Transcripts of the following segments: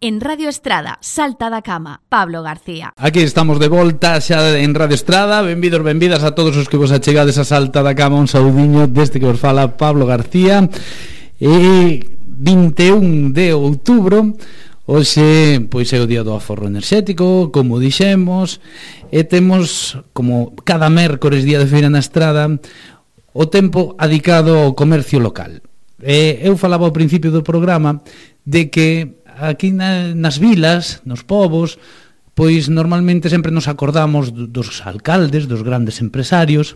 En Radio Estrada, Salta da Cama, Pablo García. Aquí estamos de volta xa en Radio Estrada. Benvidos, benvidas a todos os que vos achegades a Salta da Cama. Un saudiño deste que vos fala Pablo García. E 21 de outubro, hoxe pois é o día do aforro enerxético, como dixemos, e temos, como cada mércores día de feira na Estrada, o tempo adicado ao comercio local. Eu falaba ao principio do programa de que aquí nas vilas, nos povos, pois normalmente sempre nos acordamos dos alcaldes, dos grandes empresarios,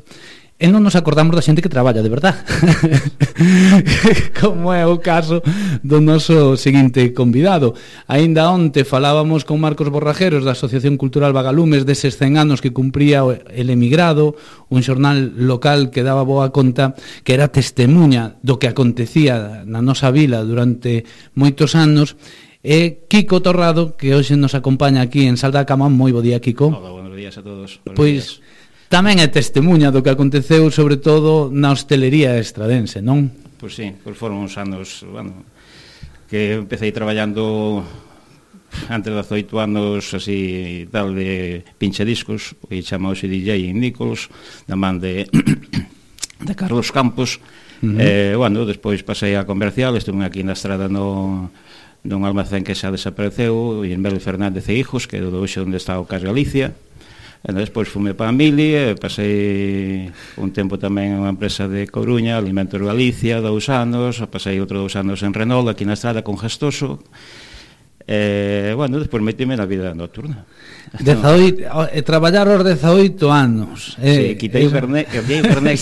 e non nos acordamos da xente que traballa de verdad. Como é o caso do noso seguinte convidado. Aínda onte falábamos con Marcos Borrajeros da Asociación Cultural Vagalumes deses 100 anos que cumpría El Emigrado, un xornal local que daba boa conta, que era testemunha do que acontecía na nosa vila durante moitos anos. E Kiko Torrado, que hoxe nos acompaña aquí en Salta da Cama. Moi bo día, Kiko. Hola, buenos días a todos. Pois tamén é testemunha do que aconteceu, sobre todo na hostelería estradense, non? Pois sí, pois foron uns anos, bueno, que empecé traballando antes de 18 anos así tal de pinche discos, que chamaose DJ Nichols, da man de Carlos Campos. Bueno, despois pasei a comercial, estuve aquí na Estrada nun almacén que xa desapareceu, e en Melo Fernández e Hijos, que é do hoxe onde está o Cas Galicia. E despois fume para a Mili, e pasei un tempo tamén en unha empresa de Coruña, Alimentos Galicia, 2 anos, pasei outro 2 anos en Renault, aquí na Estrada, con Gestoso. Bueno, despois metime na vida nocturna. Traballar aos 18 anos. Sí, quitei o Fernet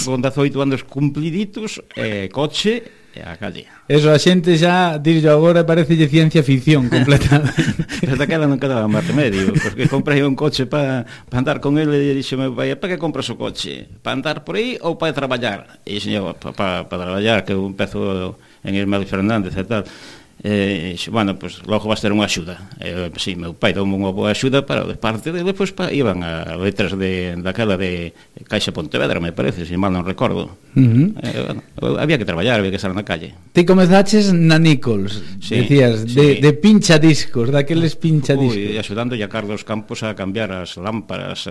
con 18 anos cumpliditos, coche e a calle. Eso, a xente xa, dirlo agora, parecelle ciencia ficción completamente. Pero daquela non quedaba máis remedio, porque comprei un coche para andar con ele, e dixo meu pai: para que compras o coche? Para andar por aí ou para traballar? E dixo, para traballar, que eu empezo en Irmel Fernández e tal. Bueno, pues logo vas ter unha axuda. Sí, meu pai dou unha boa axuda, para de parte de depois iban a letras daquela de Caixa Pontevedra, me parece, se mal non recordo. Bueno, había que traballar, había que estar na calle. Ti comezaches na Nichols, sí, decías, sí, de pincha discos, daqueles pincha discos. Axudándolle a Carlos Campos a cambiar as lámparas,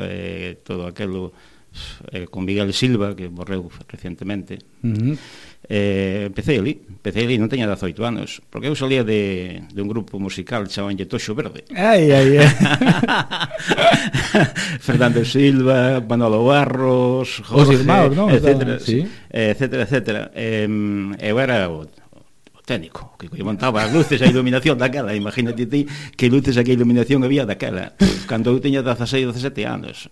todo aquilo, con Miguel Silva, que morreu recientemente. Empecé ali, non teña 18 anos, porque eu salía de un grupo musical chamabanlle Toxo Verde. Ai. Fernando Silva, Manolo Barros, Jorge, etcétera, sí, etcétera. Eu era o técnico, que montaba as luces, a iluminación daquela. Imagínate ti que luces e que iluminación había daquela cando eu teña 16, 17 anos.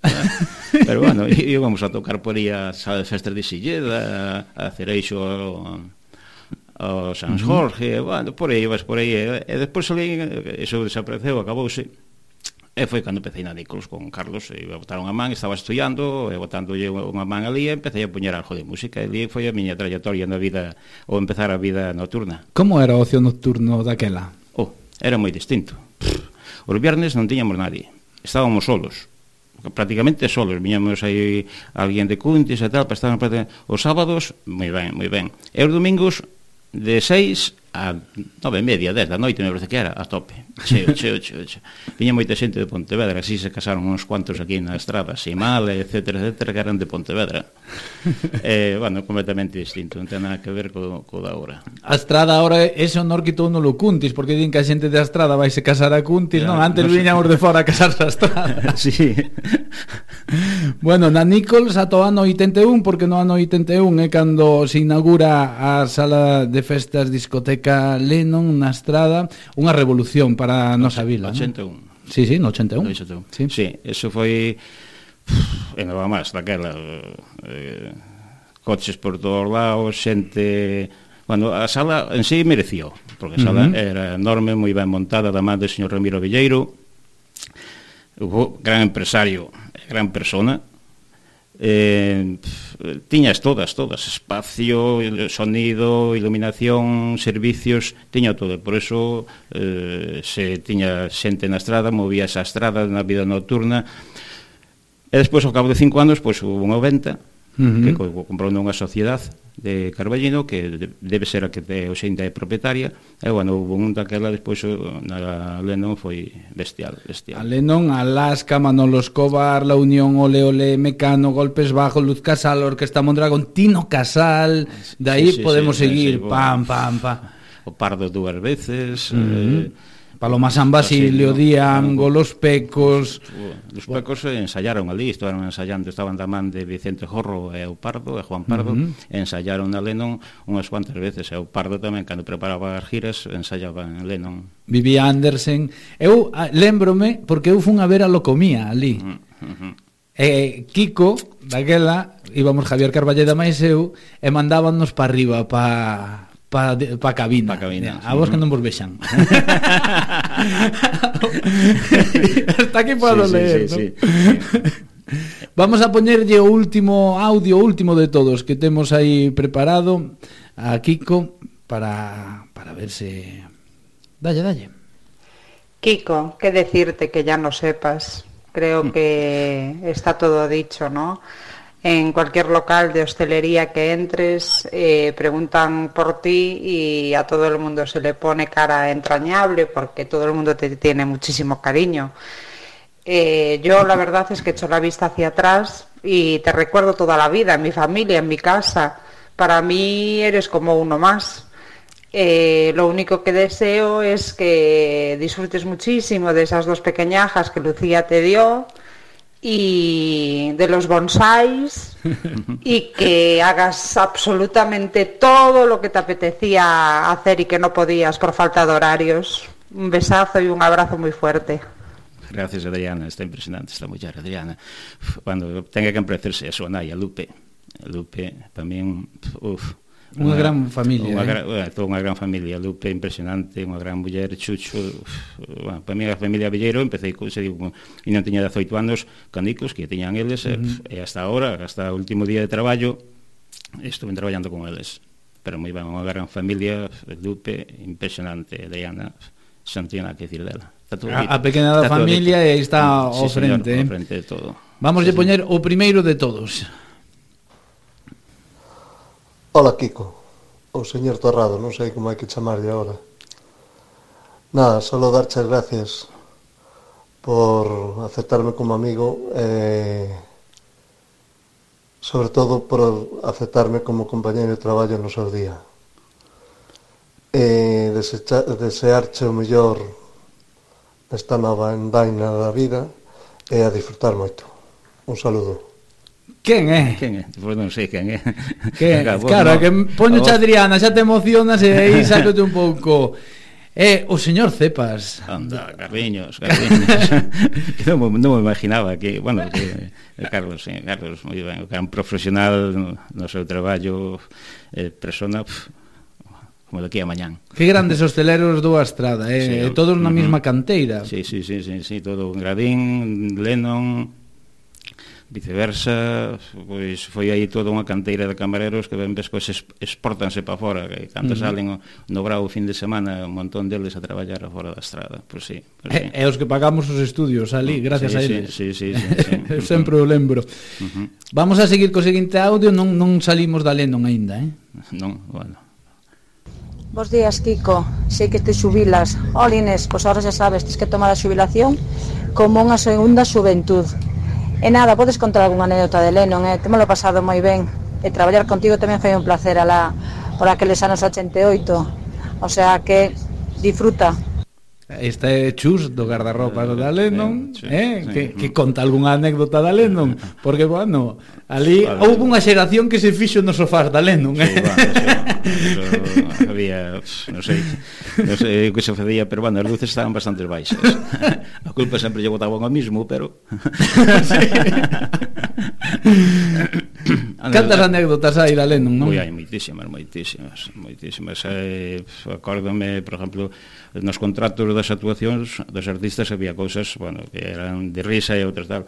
Pero bueno, íbamos a tocar por aí a sala de festas de Silleda, a Cereixo, ao San Jorge, bueno, por aí, e despois eso desapareceu, acabouse. E foi cando empecé na Nichols con Carlos, e botaron a man, estaba estudiando, e botándolle unha man ali, e empecé a poñer algo de música, e ali foi a miña trayectoria na vida, ou empezar a vida nocturna. Como era o ocio nocturno daquela? Era moi distinto. Os viernes non tiñamos nadie, estábamos solos, prácticamente solos, viñamos aí alguén de Cuntis e tal, para estar os sábados, moi ben, e os domingos de 6 a 9:30, 10 da noite, me parece que era, a tope, cheo. Viña moita xente de Pontevedra, así se casaron uns cuantos aquí na Estrada, Simal, etcétera, que eran de Pontevedra. Bueno, completamente distinto, non ten nada que ver co da hora. A Estrada agora, ese honor quitou no lo Cuntis, porque din que a xente de Estrada vai se casar a Cuntis, non? Antes viñamos de fora a casarse a Estrada. Sí. Bueno, na Nichols ata o ano 81, porque no ano 81 é cando se inaugura a sala de festas discoteca Lennon na Estrada, unha revolución para a nosa vila. 81. ¿No? Sí, no 81. Sí, eso foi nada máis daquela, coches por todos lados, xente. Bueno, a sala en sí mereció, porque a sala era enorme, moi ben montada, da man do señor Ramiro Villeiro, gran empresario, gran persona. Tiñas todas, espacio, sonido, iluminación, servicios, tiña todo, por eso se tiña xente na Estrada, movía esa Estrada na vida nocturna. E despois, ao cabo de 5 anos, pois hubo unha venta, que comprou nunha sociedade de Carballino, que debe ser a que hoxe ainda é propietaria, e, bueno, hubo un daquela, despois na Lennon foi bestial. A Lennon, Alaska, Manolo Escobar, La Unión, Ole Ole, Mecano, Golpes Bajos, Luz Casal, Orquesta Mondragón, Tino Casal, de aí podemos seguir, pam, pam, pam. O Pardo dúas veces, Paloma San Basilio, Diango, Los Pecos. Los Pecos ensayaron ali, estaban ensayando, estaban da man de Vicente Jorro e o Pardo, e Juan Pardo, ensayaron na Lennon unhas cuantas veces, e o Pardo tamén, cando preparaba as giras, ensayaba en Lennon. Vivi Andersen. Eu lembrome, porque eu fun a ver a Locomía ali. Kiko, daquela, íbamos Javier Carballeda máis eu, e mandábanos para arriba, para cabina. A vos que non vos vexan. Hasta aquí podo leer, ¿no? Vamos a poñerlle o último audio, o último de todos que temos aí preparado a Kiko para ver se... Dalle. Kiko, que decirte que ya no sepas. Creo que está todo dicho, ¿no? En cualquier local de hostelería que entres, preguntan por ti y a todo el mundo se le pone cara entrañable porque todo el mundo te tiene muchísimo cariño. Yo la verdad es que echo la vista hacia atrás y te recuerdo toda la vida, en mi familia, en mi casa. Para mí eres como uno más. Lo único que deseo es que disfrutes muchísimo de esas 2 pequeñajas que Lucía te dio, y de los bonsáis, y que hagas absolutamente todo lo que te apetecía hacer y que no podías por falta de horarios. Un besazo y un abrazo muy fuerte. Gracias, Adriana, está impresionante esta muller, Adriana. Cuando tenga que emprecerse a súa nai, a Lupe, tamén, unha gran familia, toda unha gran familia. Lupe impresionante, unha gran muller. Chucho, bueno, para mí a familia Villeiro empecé, e non tiña 18 anos, canicos que teñan eles, e hasta ahora, hasta o último día de traballo estuve traballando con eles, pero moi ben, unha gran familia. Lupe impresionante, Diana, non tiña nada que decir dela. A pequena da familia, e aí está ao frente, ao frente de todo. Vamos a poñer o primeiro de todos. Ola, Kiko, o señor Torrado, non sei como hai que chamarlle agora. Nada, solo darche as gracias por aceptarme como amigo e sobre todo por aceptarme como compañeiro de traballo no seu día. E desearche o mellor nesta nova endaina da vida e a disfrutar moito. Un saludo. Quen é? Pois non sei quen é. Claro, que poñoche a Adriana, xa te emocionas e aí sácote un pouco. O señor Cepas. Anda, Carliños. Non me imaginaba que, bueno, que Carlos, moi ben, que era un profesional no seu traballo, persona como daqui a mañán. Que grandes hosteleros do Astrada, todos na mesma canteira. Sí, todo en Gradín, Lennon, viceversa, pois foi aí toda unha canteira de camareros que ben despois exportanse para fora, que cando salen no Bravo o fin de semana un montón deles a traballar fora da Estrada, pois sí. E os que pagamos os estudios ali, gracias a eles. Sí. Eu sempre o lembro. Vamos a seguir co seguinte audio, non salimos da Lennon aínda, Non, bueno. Bos días, Kiko. Sei que te xubilas. Inés, pois ahora xa sabes, tens que tomar a xubilación como unha segunda xuventud. E nada, podes contar algunha anécdota de Lennon, temolo pasado moi ben. E traballar contigo tamén foi un placer por aqueles anos 88. O sea que disfruta. Esta é Chus do guardarropa da Lennon, que conta algunha anécdota da Lennon, porque, bueno, ali houve unha xeración que se fixo nos sofás da Lennon. Había, non sei o que se facía, pero, bueno, as luces estaban bastante baixas. A culpa sempre lle botaban ao mismo, pero... Cantas anécdotas hai da Lennon, non? Hai moitísimas. Acórdome, por exemplo, nos contratos das actuacións dos artistas había cousas, bueno, que eran de risa e outras tal,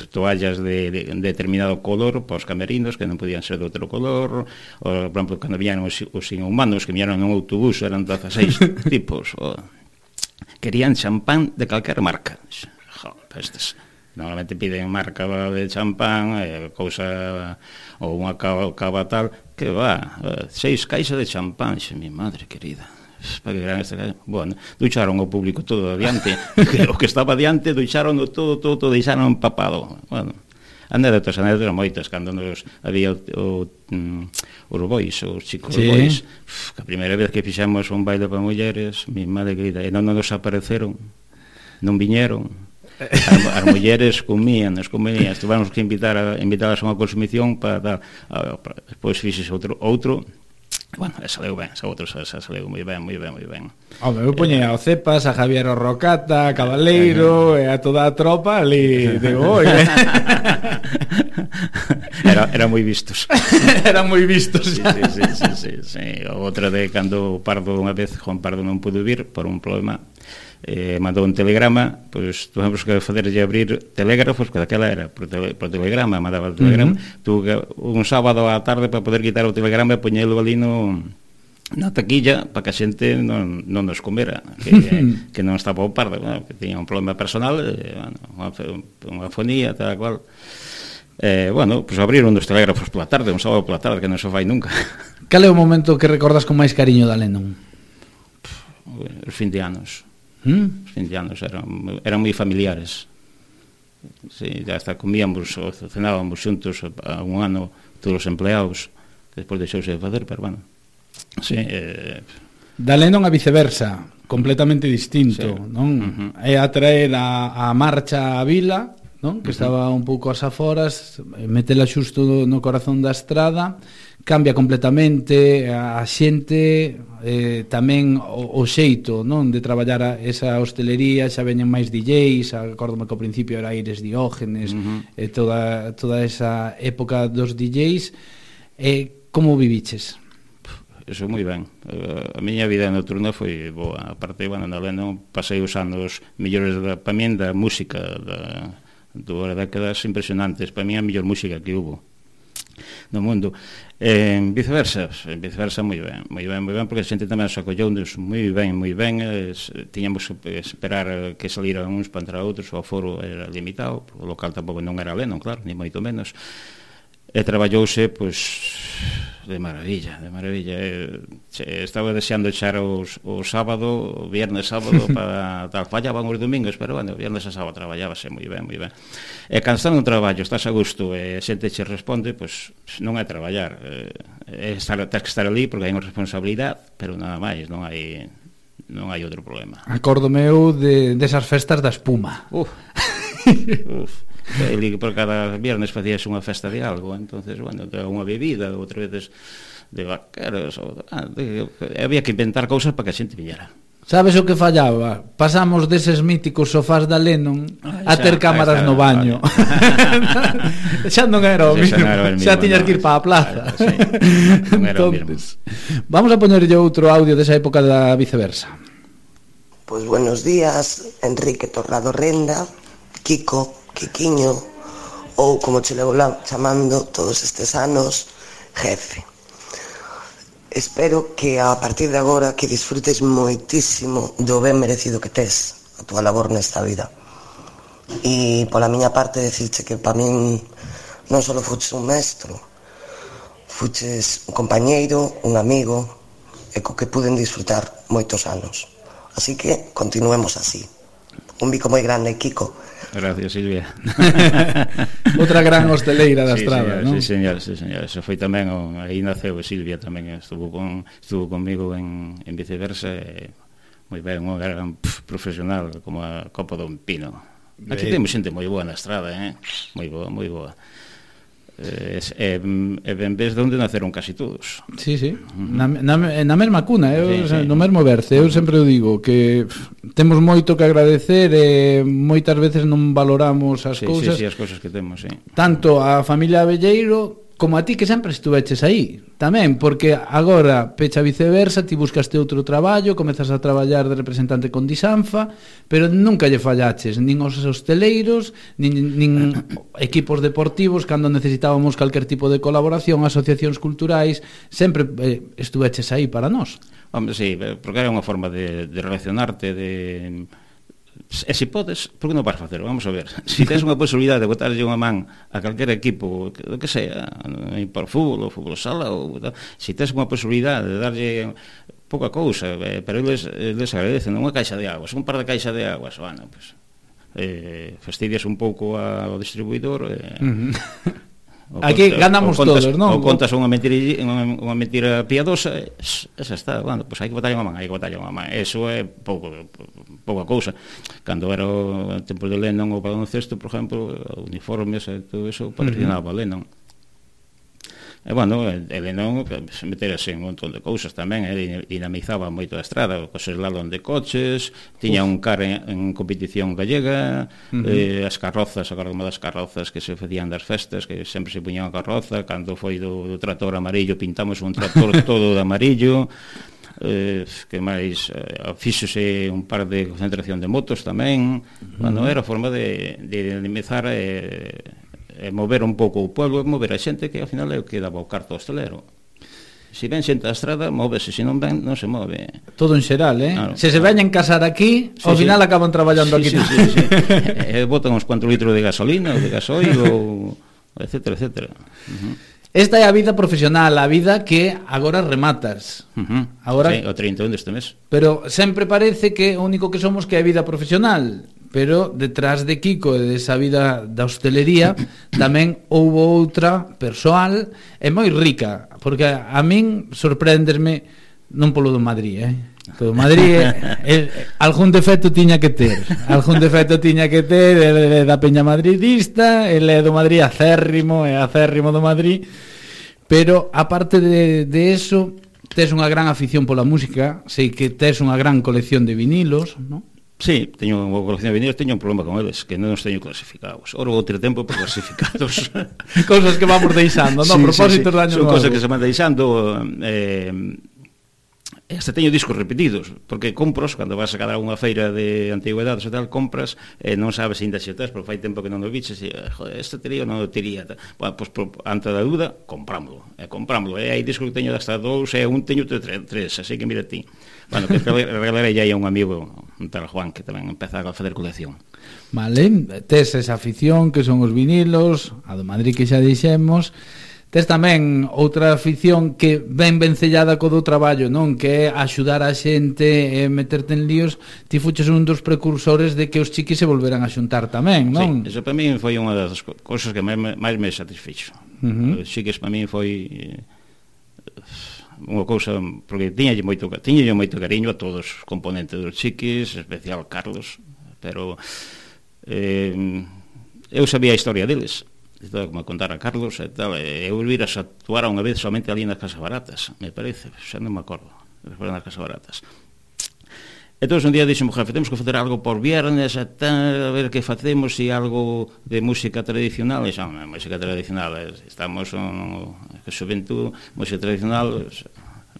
toallas de determinado color para os camerinos que non podían ser de outro color, ou, por exemplo, cando viñeron os inhumanos que viñeron nun autobús, eran 16 tipos, querían champán de calquera marca. Pestes. Normalmente piden marca de champán, cousa ou unha cava tal, que va, 6 caixas de champán, mi madre querida. Para que gran esta casa. Bueno, ducharon o público todo adiante, o que estaba adiante ducharon todo, deixaron empapado. Bueno, anécdotas moitas, cando nos había os bois, os chicos bois, que a primeira vez que fixemos un baile para mulleres, mi madre querida, e non nos apareceron, non viñeron. As mulleres comían, tivemos que invitalas a unha consumición para dar, despois fixes outro. Bueno, esa leu ben, esa leu moi ben. Home, eu poñía ao Cepas, a Javier Rocata, a Cabaleiro e a toda a tropa ali de oi. Eran moi vistos. Eran moi vistos. Sí. Outra de cando Pardo unha vez, Juan Pardo non pudo vir por un problema, mandou un telegrama, pois tuvemos que facerlle abrir telégrafos, que daquela era por telegrama, mandaba o telegrama, tuve un sábado á tarde para poder quitar o telegrama e poñelo ali na taquilla para que a xente non nos comera, que non estaba o Pardo, que tiña un problema personal, unha fonía, tal cual. Bueno, pois abriron os telégrafos pola tarde, un sábado pola tarde, que non se fai nunca. Cal é o momento que recordas con máis cariño da Lennon? Os fin de anos. Os fin de anos eran moi familiares. Sí, ya hasta comíamos ou cenábamos xuntos a un ano todos os empleados, que despois deixouse de facer, pero bueno. Sí, da Lennon a viceversa, completamente distinto, non? É atraer a marcha á vila, non? Que estaba un pouco ás aforas, metela xusto no corazón da estrada, cambia completamente a xente, tamén o xeito, non, de traballar esa hostelería, xa veñen máis DJs, acórdome que ao principio era Aires Diógenes, toda esa época dos DJs. Como viviches? Eso moi ben. A miña vida nocturna foi boa. A parte, bueno, na Lennon pasei os anos mellores para min da música das décadas impresionantes. Para mí a mellor música que hubo no mundo. Viceversa moi ben, porque a xente tamén se acollounos moi ben. Tiñamos que esperar que saliran uns para entrar outros, o aforo era limitado, o local tampouco non era Lennon, claro, ni moito menos. E traballouse, pois, de maravilla. Estaba deseando echar o sábado, o viernes sábado, para tal, fallaban os domingos, pero, bueno, o viernes a sábado traballábase moi ben. E cando estás nun traballo, estás a gusto, e a xente che responde, pois, non é traballar, tens que estar ali, porque hai unha responsabilidade, pero nada máis, non hai outro problema. Acórdome eu desas festas da espuma. Uf. Por cada viernes facías unha festa de algo, entonces, bueno, unha bebida, outra veces de vaqueros, había que inventar cousas para que a xente viñera. Sabes o que fallaba? Pasamos deses míticos sofás da Lennon a ter cámaras no baño. Xa non era o mismo, xa tiñas que ir para a plaza. Non era o mismo. Vamos a poñerlle outro audio desa época da viceversa. Pois buenos días, Enrique Torrado Renda, Kiko, Quiquiño, ou como che levo chamando todos estes anos, jefe. Espero que a partir de agora que disfrutes moitísimo do ben merecido que tes a túa labor nesta vida. E pola miña parte decirche que para min non só fuches un mestre, fuches un compañeiro, un amigo, e co que puden disfrutar moitos anos. Así que continuemos así. Un bico moi grande, Kiko. Gracias, Silvia. Outra gran hosteleira da estrada, non? Sí, señor. Eso foi tamén, aí naceu Silvia tamén, estuvo comigo en viceversa, moi ben, unha gran profesional, como a copa dun pino. Aquí temos xente moi boa na estrada, moi boa. En vez de onde naceron casi todos. Sí, na mesma cuna, no mesmo berce. Eu sempre o digo que temos moito que agradecer e moitas veces non valoramos as cousas. Sí, as cousas que temos, sí. Tanto a familia Abelleiro como a ti, que sempre estuveches aí tamén, porque agora pecha viceversa, ti buscaste outro traballo, comezas a traballar de representante con Disanfa, pero nunca lle fallaches nin aos hosteleiros, nin equipos deportivos cando necesitábamos calquer tipo de colaboración, asociacións culturais, sempre estuveches aí para nós. Hombre, sí, porque era unha forma de relacionarte, E se podes, por que non vas facer? Vamos a ver. Se tens unha posibilidade de botarlle unha man a calquer equipo, o que sea, por fútbol, ou fútbol sala, ou se tens unha posibilidade de darlle pouca cousa, pero eles agradecen unha caixa de aguas, un par de caixa de aguas, bueno, pues, fastidias un pouco ao distribuidor, aquí ganamos todos, non? Ou contas unha mentira piadosa, esa está, bueno, pois hai que botarlle unha man, eso é pouca cousa. Cando era o tempo de Lennon ou baloncesto, por exemplo, uniformes e todo eso patrocinaba Lennon. E, bueno, Lennon se meterase en un montón de cousas tamén, dinamizaba moito a estrada, o slalom de coches, tiña un car en competición gallega, as carrozas, agardome das carrozas que se facían das festas, que sempre se puñan a carroza, cando foi do trator amarillo, pintamos un trator todo de amarillo, que máis, fíxose un par de concentración de motos tamén, bueno, era a forma de dinamizar mover un pouco o pueblo, mover a xente, que ao final é o que daba o carto hostelero. Se ven xente a estrada, móvese, se non ven, non se move. Todo en xeral, claro, se veñen casar aquí, ao final acaban traballando aquí. Botan uns cuantos litros de gasolina ou de gasoil, ou etcétera, etcétera. Esta é a vida profesional, a vida que agora rematas. Agora, o 31 deste mes. Pero sempre parece que o único que somos que é a vida profesional. Pero detrás de Kiko e desa vida da hostelería tamén houve outra persoal e moi rica, porque a min sorpréndesme non polo do Madrid, polo Madrid algún defecto tiña que ter, ele é da peña madridista, ele é do Madrid acérrimo do Madrid, pero aparte de eso tes unha gran afición pola música, sei que tes unha gran colección de vinilos, non? Sí, teño unha colección de vinilos, teño un problema con eles, que non os teño clasificados. Ora vou ter tempo por clasificados. Cousas que vamos deixando, non? Propósitos de año novo. Son cousas que se van deixando. Hasta teño discos repetidos, porque compros, cando vas a cada unha feira de antigüedades e tal, compras, non sabes ainda se o tes, porque fai tempo que non o biches, e, joder, este tería ou non o tería. Bueno, pois, ante da dúda, comprámoslo. E hai discos que teño hasta 2, e un teño 3, así que mira ti. Bueno, que regalarei aí a un amigo, un tal Juan, que tamén empeza a facer colección. Vale, tes esa afición que son os vinilos, a do Madrid que xa dixemos. Tes tamén outra afición que ben vencellada co do traballo, non? Que é axudar a xente e meterte en líos. Ti fuches un dos precursores de que os chiquis se volveran a xuntar tamén, non? Sí, eso para mí foi unha das cousas que máis me satisfixo. Os chiquis para mí foi unha cousa, porque tiña moito cariño a todos os componentes dos chiquis, especial Carlos, pero eu sabía a historia deles, como contar a Carlos e tal, eu viras a actuar unha vez somente ali nas Casas Baratas, me parece, xa non me acordo, nas Casas Baratas. Entón un día dixo, jefe, temos que facer algo por viernes, a ver que facemos, e algo de música tradicional. E xa, música tradicional, estamos en xuventud, música tradicional,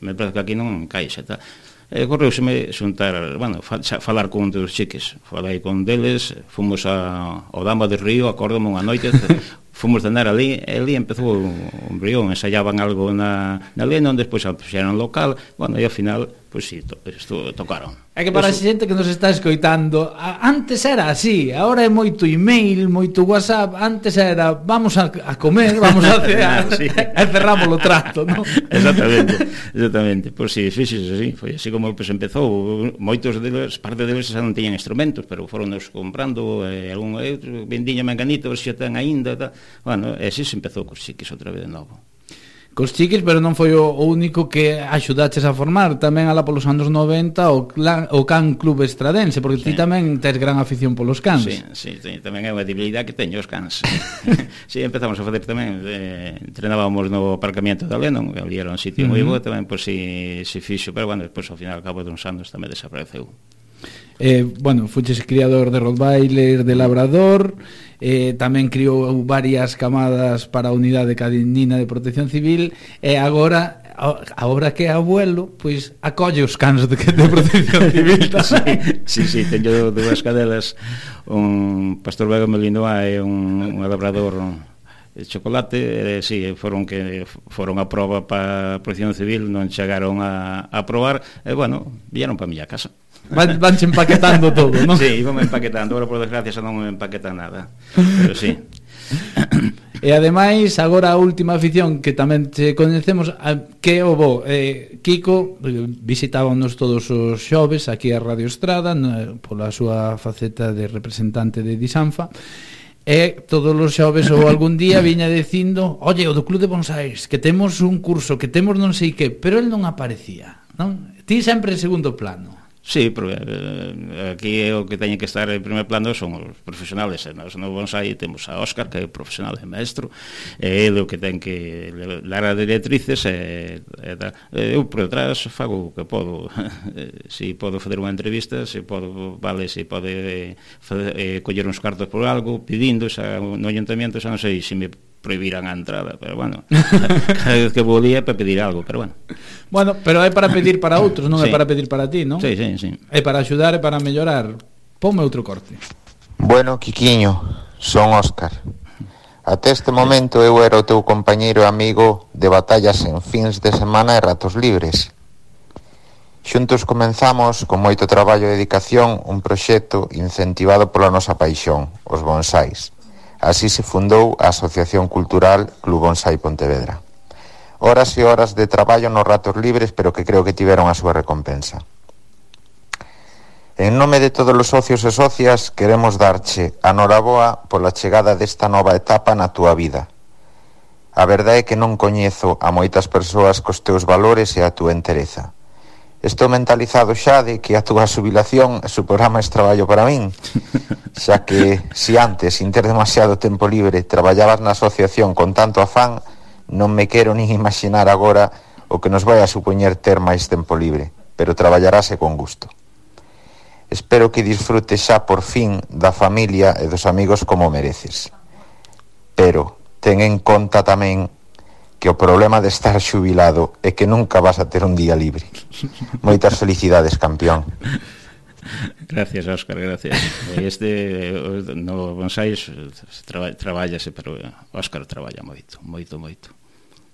me parece que aquí non encaixa, tal. Correuseme xuntar, bueno, falar con un dos chiques, falei con deles, fomos ao Dama de Río, acórdome unha noite, fomos cenar ali, e ali empezou un brión, ensayaban algo na Lennon, despois puxeron local, bueno, e ao final, pois si, tocaron. É que para a xente que nos está escoitando, antes era así, agora é moito email, moito WhatsApp, antes era vamos a comer, vamos a cear, e cerramos o trato, non? Exactamente, pois si, fixes así, foi así como empezou, moitos deles, parte deles xa non tiñan instrumentos, pero foron nos comprando, algún vendiña manganito, xa ten aínda, bueno, e así se empezou cos chiques outra vez de novo. Cos chiques, pero non foi o único que axudaches a formar, tamén alá polos anos 90 o Can Club Estradense, porque ti tamén tes gran afición polos cans. Sí, tamén é unha debilidade que teño os cans. Sí, empezamos a facer tamén, entrenábamos no aparcamiento da Lennon, ali era un sitio moi bo, tamén pois si fixo, pero bueno, despois ao final, ao cabo de uns anos tamén desapareceu. Bueno, fuches criador de Rottweiler, de Labrador, tamén criou varias camadas para a unidade canina de protección civil, e agora que é abuelo, pois acolle os cans de protección civil tamén. Sí, teño dúas cadelas, un pastor belga Malinois e un labrador de chocolate, foron a prova para a protección civil, non chegaron a probar, e bueno, vieron para a miña casa. vanche empaquetando todo, non? Sí, vamos empaquetando, agora por desgracia xa non me empaquetan nada, pero sí. E ademais, agora a última afición que tamén te coñecemos, que o bo, Kiko visitábanos todos os xoves aquí a Radio Estrada pola súa faceta de representante de Disanfa, e todos os xoves ou algún día viña dicindo, oye, o do Club de Bonsais, que temos un curso, que temos non sei que, pero el non aparecía, non? Ti sempre en segundo plano. Sí, porque aquí o que teñen que estar en primer plano son os profesionales. Nos no bonsai temos a Óscar, que é profesional e maestro, e ele o que ten que dar as directrices eu por detrás fago o que podo. Se podo fazer unha entrevista, se podo, vale, se pode coller uns cartos por algo, pedindo no ayuntamiento, xa non sei se me prohibirán a entrada, pero bueno, cada vez que volía para pedir algo, pero bueno. Bueno, pero é para pedir para outros, non sí. É para pedir para ti, non? Sí, sí, sí. É para axudar e para mellorar. Ponme outro corte. Bueno, Quiquiño, son Óscar. Até este momento eu era o teu compañeiro e amigo de batallas en fins de semana e ratos libres. Xuntos comenzamos, con moito traballo e dedicación, un proxecto incentivado pola nosa paixón, os bonsais. Así se fundou a Asociación Cultural Club Bonsai Pontevedra. Horas e horas de traballo nos ratos libres, pero que creo que tiveron a súa recompensa. En nome de todos os socios e socias, queremos darche a noraboa pola chegada desta nova etapa na túa vida. A verdade é que non coñezo a moitas persoas cos teus valores e a túa entereza. Estou mentalizado xa de que a túa xubilación suporá máis traballo para min, xa que se antes, sin ter demasiado tempo libre, traballabas na asociación con tanto afán, non me quero nin imaginar agora o que nos vai a supoñer ter máis tempo libre, pero traballarase con gusto. Espero que disfrutes xa por fin da familia e dos amigos como mereces. Pero ten en conta tamén que o problema de estar xubilado é que nunca vas a ter un día libre. Moitas felicidades, campeón. Gracias, Óscar, gracias. No bonsais traballase, pero Óscar traballa moito, moito, moito.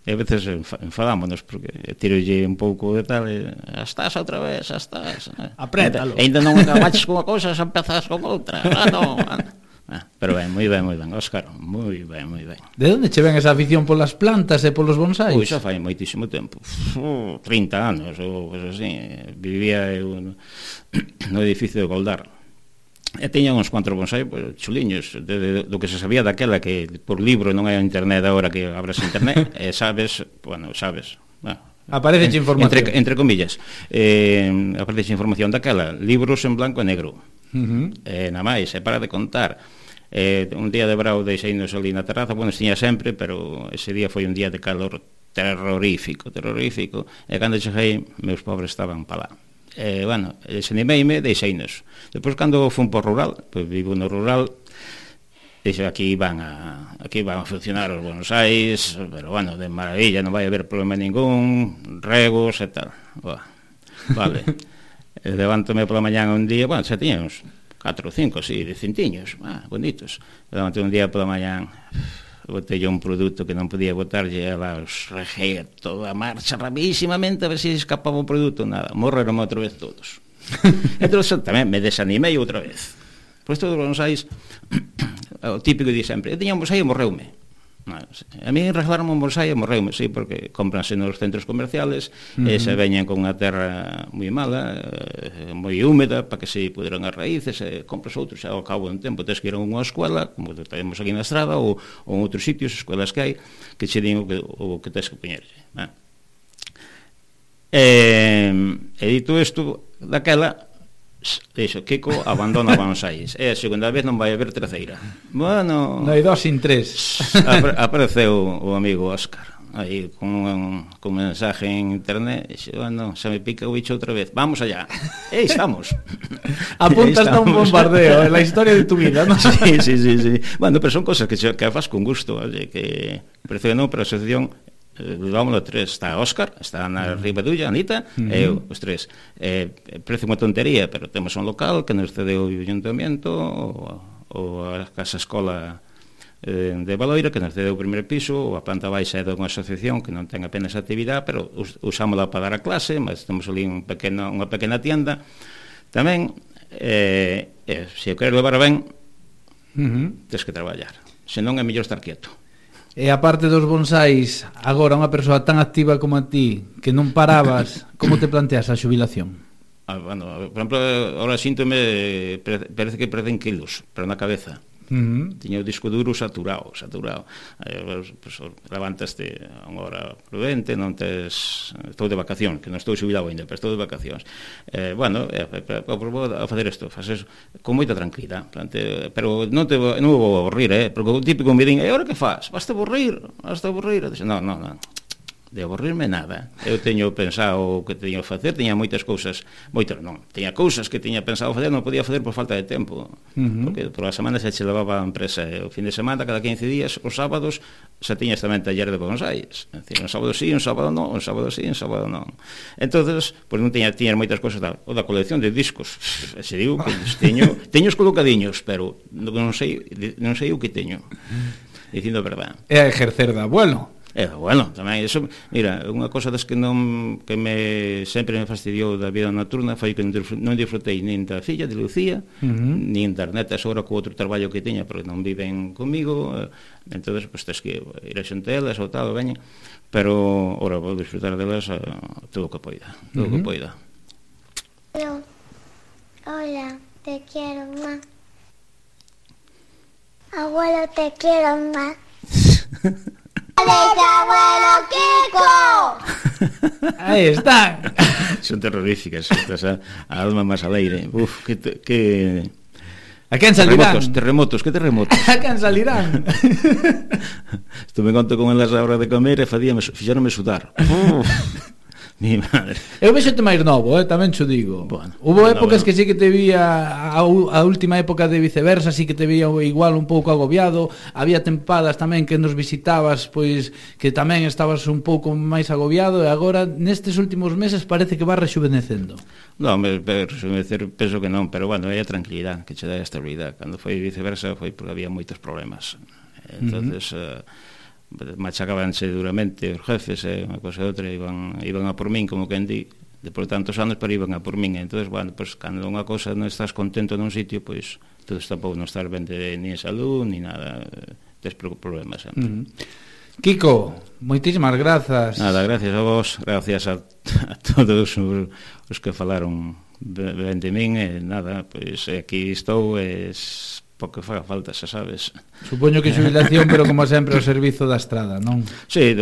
E a veces enfadámonos porque tirolle un pouco de tal e estás outra vez, estás. Aprétalo. E ainda non acabaches con unha cousa, xa empezas con outra. Pero ben, moi ben, Óscar, moi ben, moi ben. De onde che ven esa afición polas plantas e polos bonsais? Pois xa fai moitísimo tempo, 30 anos ou cousas así. Vivía eu no edificio de Goldar e teña uns cuantos bonsai chuliños do que se sabía daquela, que por libro non hai internet agora, que abras internet e sabes, aparece información entre comillas, aparece información daquela, libros en blanco e negro. Na máis, e para de contar. Un día de brao deixeinos ali na terraza, bueno, estiña sempre, pero ese día foi un día de calor terrorífico, e cando cheguei, meus pobres estaban pa lá. Bueno, desanimeime, deixeinos. Depois, cando fun por rural, pois vivo no rural, dixo, aquí van a funcionar os bonsais, pero bueno, de maravilla, non vai haber problema ningún, regos e tal. Vale. Levántome pola mañán un día, bueno, xa tiña uns 4 ou 5, así, de cintiños, bonitos. Levántome un día pola mañán, botei un produto que non podía botarlle, ela os reguei toda a marcha rapidísimamente a ver se escapaba o produto, nada, morreron outra vez todos. Entón tamén me desanimei outra vez. Pois todos os bonsais, o típico di sempre, eu tiña un bonsai e morreume. A mí regalaron un bonsai e morreume, sí, porque cómpranse nos centros comerciales e se veñen con unha terra moi mala, moi húmeda, para que se puderan as raíces, e compras outros, ao cabo de un tempo tens que ir a unha escuela, como temos aquí na estrada, ou en outros sitios, escuelas que hai, que che din o que tens que poñer. E dito isto, daquela, dixo, Kiko abandona bonsais, e a segunda vez non vai haber terceira. Bueno, non hai 2 sin 3. Apareceu o amigo Óscar aí con mensaje en internet, e dixe, bueno, xa me pica o bicho outra vez, vamos allá. E estamos. Apuntas a un bombardeo en la historia de tu vida, ¿no? Sí. Bueno, pero son cosas que faz con gusto, oye, que parece que non, pero a asociación vámonos 3, está Óscar, está na Ribadulla, Anita, e eu, os 3. Parece unha tontería, pero temos un local que nos cedeu o ayuntamiento, ou a casa escola de Valoira, que nos cedeu o primeiro piso, ou a planta baixa é de unha asociación que non ten apenas actividade, pero usámola para dar a clase, mas temos ali unha pequena tienda, Tamén, se o queres levar ben, tens que traballar. Senón é mellor estar quieto. E a parte dos bonsais, agora unha persoa tan activa como a ti, que non parabas, como te planteas a xubilación? Bueno, por exemplo, ahora síntome, parece que perdén kilos, pero na cabeza. Tiña o disco duro saturado. Pues, levantaste a unha hora prudente, non tes... Estou de vacacións, que non estou xubilado ainda, pero estou de vacacións. Vou a facer isto, faces con moita tranquilidade, pero non vou aburrir, porque o típico me din, e agora que faz? Vas-te aburrir? Non. De aburrirme nada. Eu teño pensado o que teño que facer, tiña moitas cousas, tiña cousas que tiña pensado facer, non podía facer por falta de tempo, porque por a semana xa che levaba a empresa, o fin de semana, cada 15 días, os sábados, xa tiñas tamén taller de bonsais, é dicir, un sábado sí, un sábado non, un sábado sí, un sábado non. Entonces, pois non tiña moitas cousas, o da colección de discos, se digo que teño os colocadiños, pero non sei o que teño, dicindo a verdade. É exercer de abuelo. Bueno, tamén eso, mira, unha cosa das que sempre me fastidiou da vida nocturna foi que non disfrutei nin da filla de Lucía, nin das netas agora co outro traballo que teña, porque non viven comigo, entonces pues tens que ir a xente elas ou tal, veñen, pero agora vou disfrutar delas todo o que poida, todo o que poida. Hola, te quiero más. Abuelo, te quiero más. ¡Abuelo Kiko! Aí están. Son terroríficas, estás a alma máis alegre. Uf, que... A quen salirán? Terremotos. A quen salirán? Estuve conto con elas a hora de comer e fixéronme sudar. Mi madre. Eu vexote máis novo, tamén xo digo. Bueno, hubo épocas que sí que te vía a última época de Viceversa, sí que te vía igual un pouco agobiado. Había tempadas tamén que nos visitabas, pois que tamén estabas un pouco máis agobiado, e agora nestes últimos meses parece que vas rexuvenecendo. Non, rexuvenecer penso que non, pero bueno, é a tranquilidade que che dá a estabilidade. Cando foi Viceversa foi porque había moitos problemas. Entonces machacabanse duramente os jefes, unha cosa e outra, iban a por min, como quen di, depois de tantos anos, pero iban a por min. Entón, bueno, pues, cando unha cosa non estás contento nun sitio, pois todo tampouco non estar ben ni en salud, ni nada, tes problemas sempre. Kiko, moitísimas grazas. Nada, gracias a vos, gracias a todos os que falaron ben de min, e nada, pois aquí estou, porque faga falta, xa sabes. Supoño que xubilación, pero como sempre ao servizo da estrada, non? Sí,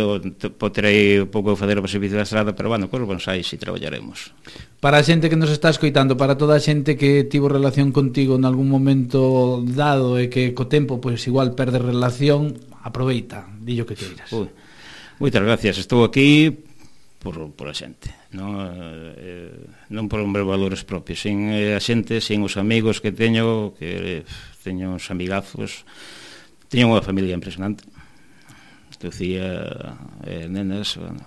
poderei un pouco fazer o servizo da estrada, pero bueno, cos bonsais si traballaremos. Para a xente que nos está escoitando, para toda a xente que tivo relación contigo en algún momento dado e que co tempo, pois igual perde relación, aproveita, dillo que queiras. Moitas gracias, estou aquí por a xente, non por os meus valores propios, sin a xente, sin os amigos que teño uns amigazos, teño unha familia impresionante, Lucía e nenas, bueno,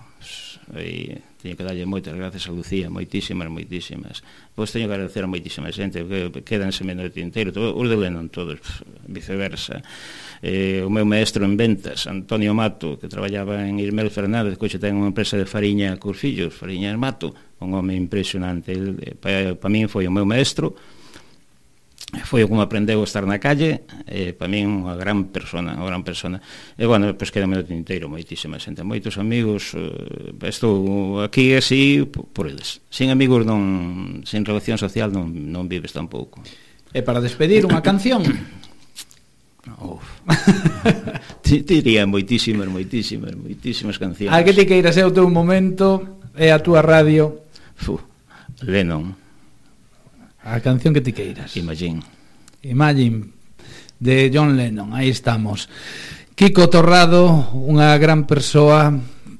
teño que darlle moitas gracias a Lucía, moitísimas, pois teño que agradecer a moitísima xente que quedanse menos de tinteiro, os de Lennon todos, Viceversa, o meu maestro en ventas, Antonio Mato, que traballaba en Irmel Fernández, que hoxe ten unha empresa de fariña cos fillos, Fariñas Mato, un home impresionante. Para min foi o meu maestro, foi o que me aprendeu a estar na calle, para min unha gran persona, e bueno, pois quedame no tinteiro moitísima xente, moitos amigos, estou aquí así por eles, sin amigos sin relación social non vives tampouco. E para despedir unha canción? Diría moitísimas cancións. A que ti queiras, é o teu momento, é a túa radio. Lennon. A canción que ti queiras. Imagine, de John Lennon. Aí estamos. Kiko Torrado, unha gran persoa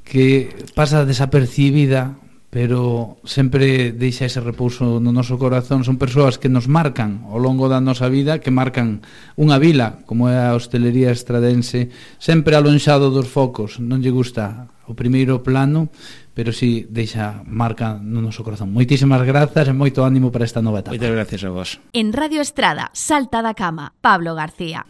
que pasa desapercibida, pero sempre deixa ese repouso no noso corazón. Son persoas que nos marcan ao longo da nosa vida, que marcan unha vila como é a hostelería estradense, sempre alonxado dos focos. Non lle gusta o primeiro plano, pero si deixa marca no noso corazón. Moitísimas grazas e moito ánimo para esta nova etapa. Moitas gracias a vos. En Radio Estrada, Salta da Cama, Pablo García.